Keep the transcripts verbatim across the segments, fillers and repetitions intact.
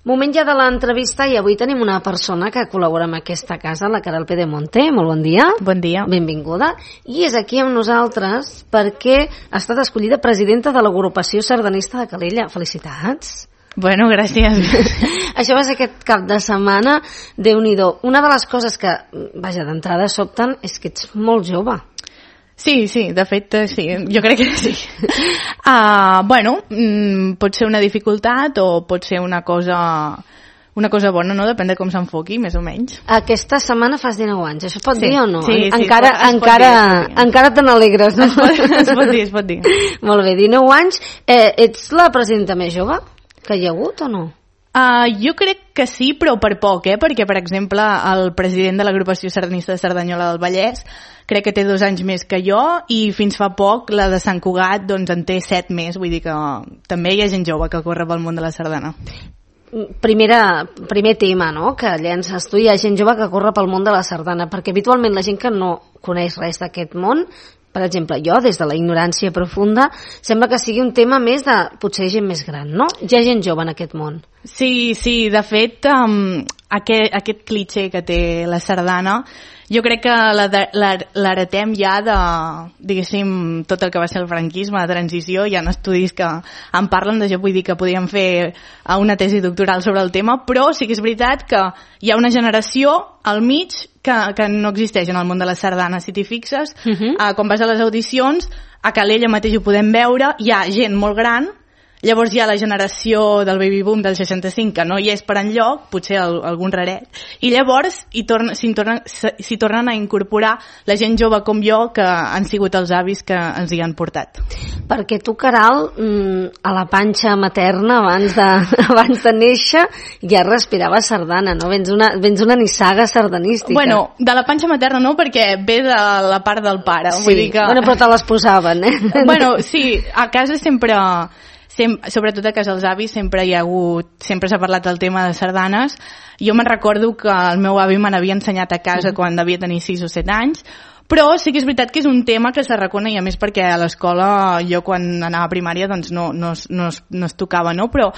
Moment ja de l'entrevista i avui tenim una persona que col·labora amb aquesta casa, la Caral Pedemonte. Molt bon dia. Bon dia. Benvinguda. I és aquí amb nosaltres perquè ha estat escollida presidenta de l'agrupació sardanista de Calella. Felicitats. Bueno, gràcies. Això va ser aquest cap de setmana. Déu-n'hi-do. Una de les coses que, vaja, d'entrada sobten és que ets molt jove. Sí, sí, de fet, sí, jo crec que sí. Uh, bueno, mm, pot ser una dificultat o pot ser una cosa, una cosa bona, no? Depèn de com s'enfoqui, més o menys. Aquesta setmana fas dinou anys, això es pot sí. dir o no? Sí, sí, encara es pot, es encara, pot dir, sí. encara te n'alegres, no? Es pot, es pot dir, es pot dir. Molt bé, dinou anys. Eh, ets la presidenta més jove que hi ha hagut o no? Uh, jo crec que sí, però per poc, eh? Perquè, per exemple, el president de l'agrupació sardanista de Cerdanyola del Vallès crec que té dos anys més que jo i fins fa poc la de Sant Cugat doncs en té set més, vull dir que també hi ha gent jove que corre pel món de la sardana. Primera, primer tema, no?, que llences tu, hi ha gent jove que corre pel món de la sardana, perquè habitualment la gent que no coneix res d'aquest món, per exemple, jo, des de la ignorància profunda, sembla que sigui un tema més de, potser gent més gran, no? Hi ha gent jove en aquest món. Sí, sí, de fet, um, aquest, aquest cliché que té la sardana, jo crec que l'heretem ja de, diguéssim, tot el que va ser el franquisme, la transició. Hi ha estudis que en parlen, de jo vull dir que podíem fer una tesi doctoral sobre el tema, però sí que és veritat que hi ha una generació al mig que, que no existeix en el món de la sardana. Si t'hi fixes, uh -huh. uh, quan vas a les audicions, a Calella mateix ho podem veure, hi ha gent molt gran. Llavors hi ha la generació del baby boom del seixanta-cinc que no hi és per enlloc, potser el, algun raret, i llavors s'hi tornen, tornen, tornen a incorporar la gent jove com jo que han sigut els avis que ens hi han portat. Perquè tu, Caral, a la panxa materna abans de, abans de néixer ja respiraves sardana, no? Vens una, vens una nissaga sardanística. Bueno, de la panxa materna no, perquè ve de la part del pare. Sí, vull dir que... bueno, però te les posaven, eh? Bueno, sí, a casa sempre... Sem sobretot a casa dels avis sempre hi ha hagut, sempre s'ha parlat del tema de sardanes. Jo me'n recordo que el meu avi me n'havia ensenyat a casa mm. quan devia tenir sis o set anys, però sí que és veritat que és un tema que se reconeix, a més perquè a l'escola jo quan anava a primària doncs no, no, no, es, no es tocava, no? Però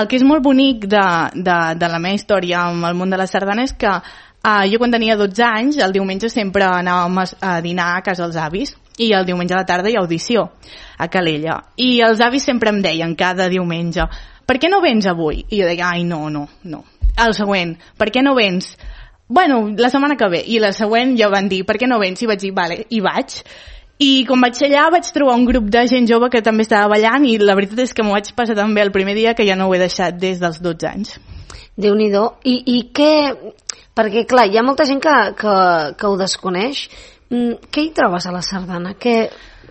el que és molt bonic de, de, de la meva història amb el món de la sardana és que uh, jo quan tenia dotze anys, el diumenge sempre anàvem a, a dinar a casa dels avis, i el diumenge a la tarda hi ha audició a Calella. I els avis sempre em deien cada diumenge, per què no vens avui? I jo deia, ai, no, no, no. El següent, per què no vens? Bueno, la setmana que ve. I la següent ja van dir, per què no vens? I vaig dir, vale, i vaig. I quan vaig allà vaig trobar un grup de gent jove que també estava ballant i la veritat és que m'ho vaig passar tan bé el primer dia que ja no ho he deixat des dels dotze anys. Déu-n'hi-do. I, i què... Perquè, clar, hi ha molta gent que, que, que ho desconeix. Què hi trobes a la sardana? Què,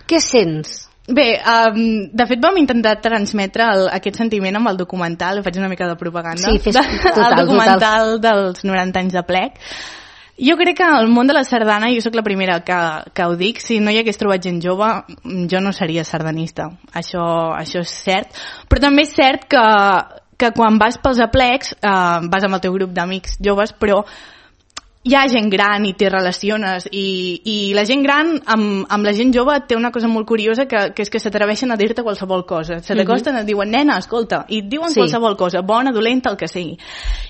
què sents? Bé, um, de fet vam intentar transmetre el, aquest sentiment amb el documental, faig una mica de propaganda, sí, fes, total, el documental total. dels noranta anys de plec. Jo crec que el món de la sardana, jo sóc la primera que, que ho dic, si no hi hagués trobat gent jove, jo no seria sardanista, això, això és cert, però també és cert que, que quan vas pels aplecs, uh, vas amb el teu grup d'amics joves, però hi ha gent gran i t'hi relaciones i, i la gent gran amb, amb la gent jove té una cosa molt curiosa que, que és que s'atreveixen a dir-te qualsevol cosa, se t'acosten, et diuen nena, escolta, i et diuen sí. qualsevol cosa, bona, dolenta, el que sigui,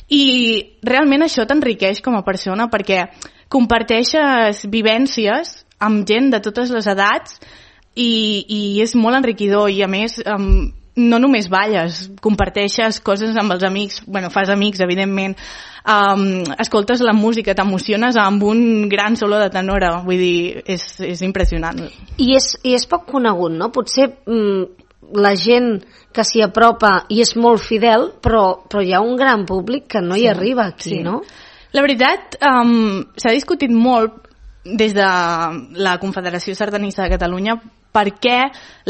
i realment això t'enriqueix com a persona perquè comparteixes vivències amb gent de totes les edats i, i és molt enriquidor i a més um, no només balles, comparteixes coses amb els amics, bueno, fas amics evidentment, um, escoltes la música, t'emociones amb un gran solo de tenora, vull dir, és, és impressionant. I és, i és poc conegut, no? Potser mm, la gent que s'hi apropa i és molt fidel, però, però hi ha un gran públic que no hi sí, arriba aquí, sí. no? La veritat, um, s'ha discutit molt des de la Confederació Sardanista de Catalunya per què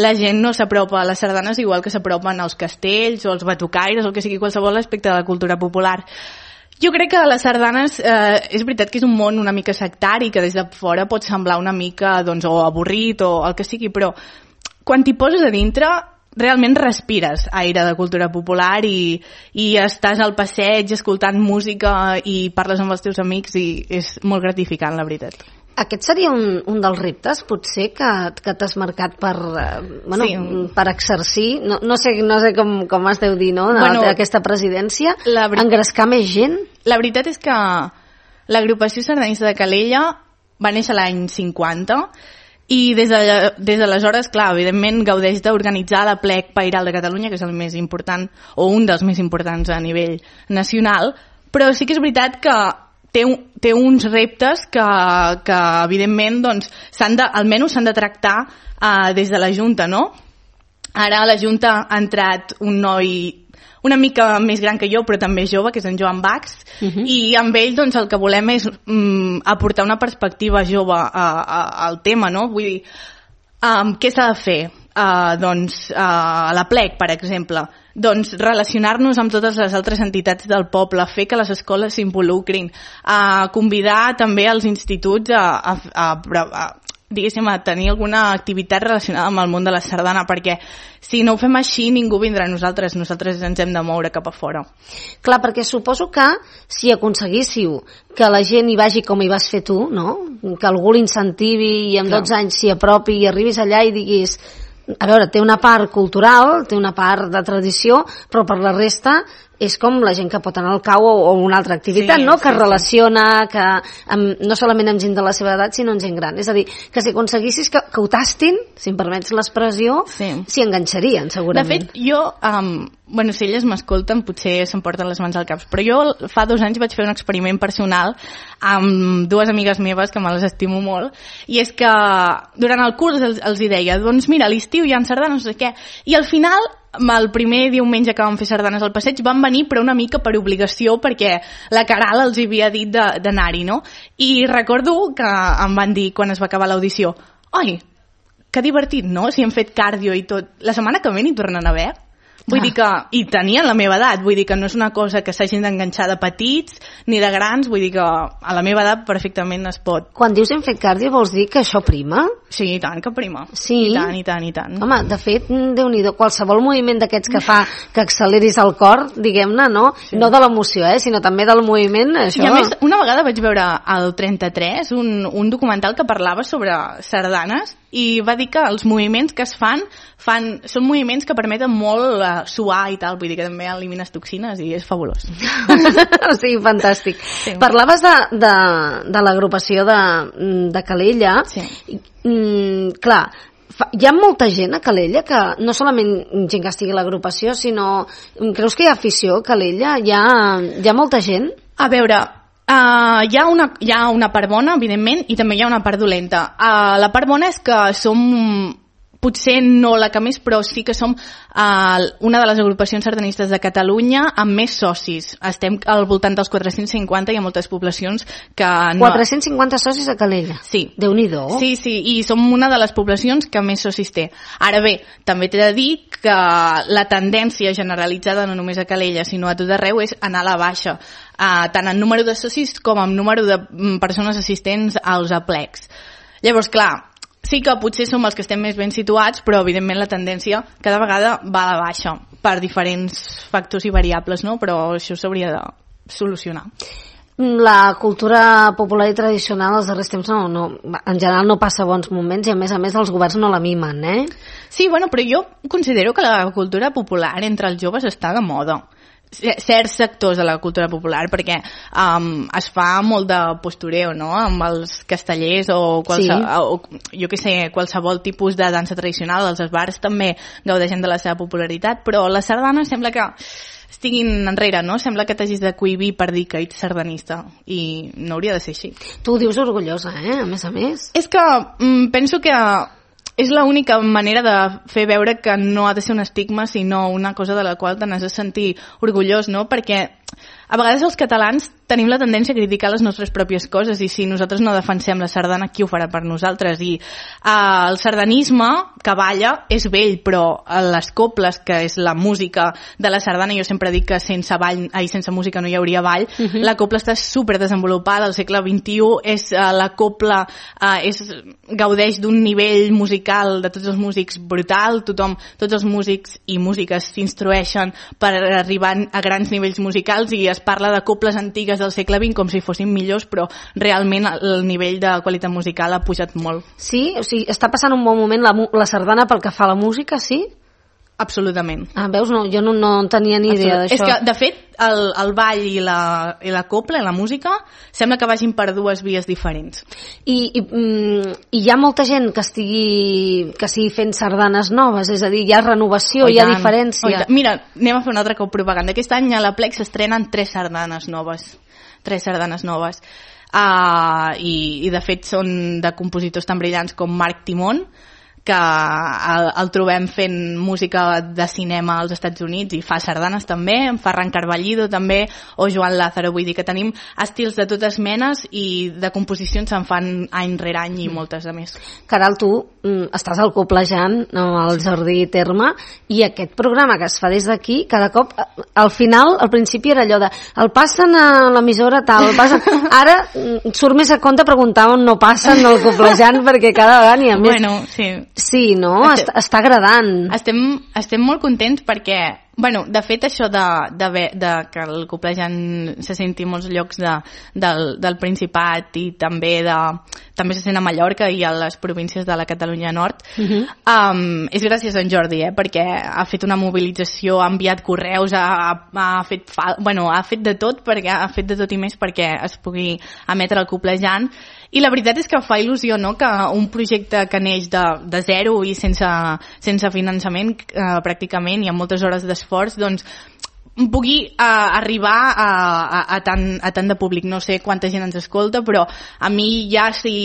la gent no s'apropa a les sardanes igual que s'apropen als castells o als batucaires o el que sigui qualsevol aspecte de la cultura popular. Jo crec que les sardanes, eh, és veritat que és un món una mica sectari, que des de fora pot semblar una mica doncs, o avorrit o el que sigui, però quan t'hi poses a dintre realment respires aire de cultura popular i, i estàs al passeig escoltant música i parles amb els teus amics i és molt gratificant, la veritat. aquest seria un, un dels reptes, potser, que, que t'has marcat per, eh, bueno, sí. per exercir, no, no sé, no sé com, com es deu dir, no?, bueno, aquesta presidència, la ver... engrescar més gent? La veritat és que l'agrupació sardanista de Calella va néixer l'any cinquanta i des de, des d'aleshores, clar, evidentment gaudeix d'organitzar la Plec Pairal de Catalunya, que és el més important, o un dels més importants a nivell nacional, però sí que és veritat que té, té uns reptes que, que evidentment, doncs, s'han de, almenys s'han de tractar uh, des de la Junta, no? Ara a la Junta ha entrat un noi una mica més gran que jo, però també jove, que és en Joan Bax, uh-huh. i amb ell doncs, el que volem és um, aportar una perspectiva jove a, a, al tema, no? Vull dir, um, què s'ha de fer? Uh, doncs, uh, a la Plec, per exemple, doncs relacionar-nos amb totes les altres entitats del poble, fer que les escoles s'involucrin, uh, convidar també els instituts a, a, a, a diguéssim, a tenir alguna activitat relacionada amb el món de la sardana, perquè si no ho fem així ningú vindrà a nosaltres, nosaltres ens hem de moure cap a fora. Clar, perquè suposo que si aconseguíssiu que la gent hi vagi com hi vas fer tu, no? Que algú l'incentivi i amb Clar. dotze anys s'hi apropi i arribis allà i diguis, a veure, té una part cultural, té una part de tradició, però per la resta és com la gent que pot anar al cau o, o una altra activitat, sí, no? Que sí, relaciona, sí. que amb, no solament amb gent de la seva edat, sinó amb gent gran. És a dir, que si aconseguissis que, que ho tastin, si em permets l'expressió, s'hi sí. enganxarien, segurament. De fet, jo, um, bueno, si elles m'escolten, potser s'emporten les mans al cap, però jo fa dos anys vaig fer un experiment personal amb dues amigues meves, que me les estimo molt, i és que durant el curs els, els hi deia, doncs mira, a l'estiu hi ha sardanes, no sé què, i al final el primer diumenge que vam fer sardanes al passeig van venir però una mica per obligació perquè la Caral els havia dit d'anar-hi, no? I recordo que em van dir quan es va acabar l'audició, oi, que divertit, no? Si hem fet cardio i tot, la setmana que ve n'hi tornen a haver? Vull ah. dir que, i tenien la meva edat, vull dir que no és una cosa que s'hagin d'enganxar de petits ni de grans, vull dir que a la meva edat perfectament es pot. Quan dius hem fet cardio vols dir que això prima? Sí, i tant que prima. Sí? I tant, i tant, i tant. Home, de fet, Déu-n'hi-do, qualsevol moviment d'aquests que fa que acceleris el cor, diguem-ne, no? Sí. No de l'emoció, eh, sinó també del moviment, això... I a més, una vegada vaig veure al trenta-tres un, un documental que parlava sobre sardanes i va dir que els moviments que es fan, fan són moviments que permeten molt uh, suar i tal, vull dir que també elimines toxines i és fabulós. Sí, fantàstic. Sí. Parlaves de, de, de l'agrupació de, de Calella. Sí. Mm, clar, fa, hi ha molta gent a Calella que no solament gent que estigui a l'agrupació, sinó creus que hi ha afició a Calella? Hi ha, hi ha molta gent? A veure... Uh, hi, ha una, hi ha una part bona, evidentment, i també hi ha una part dolenta. Uh, la part bona és que som, potser no la que més, però sí que som uh, una de les agrupacions sardanistes de Catalunya amb més socis. Estem al voltant dels quatre-cents cinquanta, hi ha moltes poblacions que... No... quatre-cents cinquanta socis a Calella? Sí. Déu-n'hi-do. Sí, sí, i som una de les poblacions que més socis té. Ara bé, també t'he de dir que la tendència generalitzada no només a Calella, sinó a tot arreu, és anar a la baixa. Uh, tant en número de socis com en número de persones assistents als aplecs. Llavors, clar, sí que potser som els que estem més ben situats, però evidentment la tendència cada vegada va a la baixa per diferents factors i variables, no? Però això s'hauria de solucionar. La cultura popular i tradicional els darrers temps no, no, en general no passa bons moments i a més a més els governs no la mimen, eh? Sí, bueno, però jo considero que la cultura popular entre els joves està de moda. Certs sectors de la cultura popular, perquè um, es fa molt de postureo, no?, amb els castellers o, qualse, sí. o jo què sé, qualsevol tipus de dansa tradicional. Els bars també gaudeixen de la seva popularitat, però la sardana sembla que estiguin enrere, no? Sembla que t'hagis de cohibir per dir que ets sardanista i no hauria de ser així. Tu ho dius orgullosa, eh?, a més a més. És que mm, penso que és l'única manera de fer veure que no ha de ser un estigma, sinó una cosa de la qual te n'has de sentir orgullós, no? Perquè a vegades els catalans tenim la tendència a criticar les nostres pròpies coses i si nosaltres no defensem la sardana, qui ho farà per nosaltres? I uh, el sardanisme que balla és vell, però les coples, que és la música de la sardana, jo sempre dic que sense ball, ai, sense música no hi hauria ball, uh-huh. La copla està super desenvolupada, al segle vint-i-u és, uh, la copla uh, és, gaudeix d'un nivell musical de tots els músics brutal, tothom, tots els músics i músiques s'instrueixen per arribar a grans nivells musicals musicals i es parla de coples antigues del segle vint com si fossin millors, però realment el nivell de qualitat musical ha pujat molt. Sí? O sigui, està passant un bon moment la, la sardana pel que fa a la música, sí? Absolutament. Ah, veus? No, jo no, no tenia ni idea d'això. És que, de fet, el, el ball i la, i la copla, i la música, sembla que vagin per dues vies diferents. I, i, mm, i hi ha molta gent que estigui, que estigui fent sardanes noves, és a dir, hi ha renovació, hi ha diferència. Mira, anem a fer una altra cop propaganda. Aquest any a la Plec s'estrenen tres sardanes noves. Tres sardanes noves. Uh, i, I, de fet, són de compositors tan brillants com Marc Timón, que el, el trobem fent música de cinema als Estats Units i fa sardanes també, en Ferran Carballido també, o Joan Lázaro. Vull dir que tenim estils de totes menes i de composicions se'n fan any rere any i moltes de més. Caral, tu mm, estàs al Coplejant, al Jardí Terme, i aquest programa que es fa des d'aquí, cada cop, al final, al principi era allò de el passen a l'emissora tal, el passen... ara mm, surt més a compte preguntar on no passen al Coplejant, perquè cada vegada n'hi ha més. Bueno, sí. Sí, no? Estem, està, està agradant. Estem, estem molt contents perquè, bueno, de fet això de, de, de que el Coplejant se senti en molts llocs de, del, del Principat i també de, també se sent a Mallorca i a les províncies de la Catalunya Nord, uh-huh. um, és gràcies a en Jordi, eh, perquè ha fet una mobilització, ha enviat correus, ha, ha, fet, fa, bueno, ha fet de tot, perquè ha fet de tot i més perquè es pugui emetre el Coplejant. I la veritat és que fa il·lusió, no?, que un projecte que neix de, de zero i sense, sense finançament eh, pràcticament i amb moltes hores d'esforç, doncs pugui uh, arribar a, a, a, tant, a tant de públic. No sé quanta gent ens escolta, però a mi ja si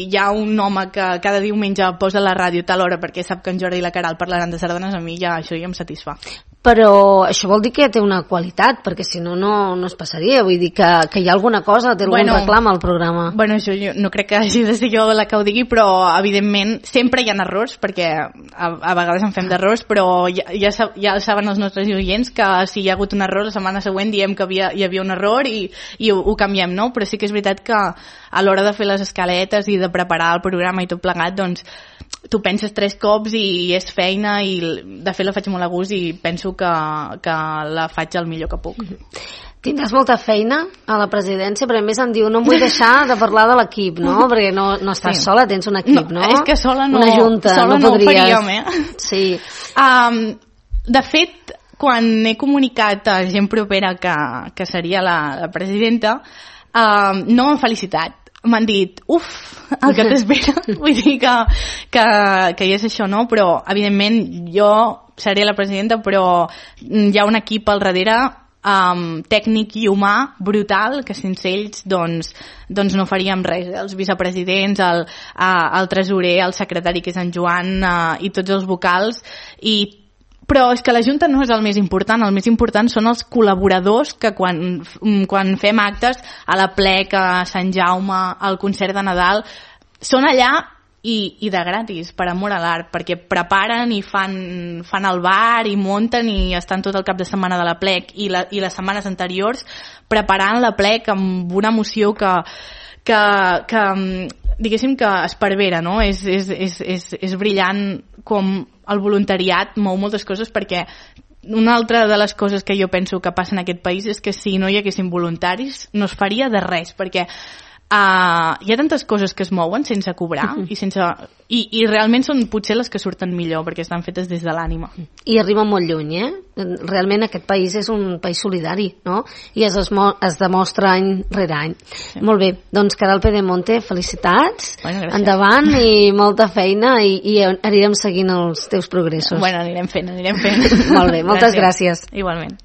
hi ha un home que cada diumenge posa la ràdio a tal hora perquè sap que en Jordi i la Caral parlaran de sardanes, a mi ja això ja em satisfà. Però això vol dir que té una qualitat, perquè si no, no, no es passaria. Vull dir que, que hi ha alguna cosa, té algun bueno, reclam al programa. Bueno, això jo no crec que hagi de ser jo la que ho digui, però evidentment sempre hi ha errors, perquè a, a vegades en fem d'errors, però ja, ja, ja saben els nostres oients que si hi ha hagut un error, la setmana següent diem que havia, hi havia un error i, i ho, ho canviem, no? Però sí que és veritat que a l'hora de fer les escaletes i de preparar el programa i tot plegat, doncs tu penses tres cops i és feina i de fet la faig molt a gust i penso que, que la faig el millor que puc. Tindràs molta feina a la presidència, però a més em diu no em vull deixar de parlar de l'equip, no? Perquè no, no estàs sí. sola, tens un equip, no? No, és que sola no, una junta, sola no, no podries... ho faríem, eh? Sí. Um, de fet, quan he comunicat a gent propera que, que seria la, la presidenta, um, no m'han felicitat. M'han dit, uf, el que t'espera. Vull dir que, que, que ja és això, no? Però, evidentment, jo seré la presidenta, però hi ha un equip al darrere um, tècnic i humà brutal, que sense ells doncs, doncs no faríem res. Els vicepresidents, el, uh, el tresorer, el secretari, que és en Joan, uh, i tots els vocals, i però és que la Junta no és el més important, el més important són els col·laboradors que quan, quan fem actes a la Plec, a Sant Jaume, al concert de Nadal, són allà i, i de gratis, per amor a l'art, perquè preparen i fan, fan el bar i munten i estan tot el cap de setmana de la Plec i, la, i les setmanes anteriors preparant la Plec amb una emoció que, que, que diguéssim que esparvera, no? És, és, és, és, és brillant com el voluntariat mou moltes coses, perquè una altra de les coses que jo penso que passa en aquest país és que si no hi haguessin voluntaris no es faria de res, perquè uh, hi ha tantes coses que es mouen sense cobrar uh-huh. i, sense, i, i realment són potser les que surten millor perquè estan fetes des de l'ànima. I arriba molt lluny, eh? Realment aquest país és un país solidari, no? I es, esmo- es demostra any rere any. Sí. Molt bé, doncs Caral Pedemonte, felicitats, bueno, endavant i molta feina i, i anirem seguint els teus progressos. Bueno, anirem fent, anirem fent. Molt bé, moltes gràcies. gràcies. Igualment.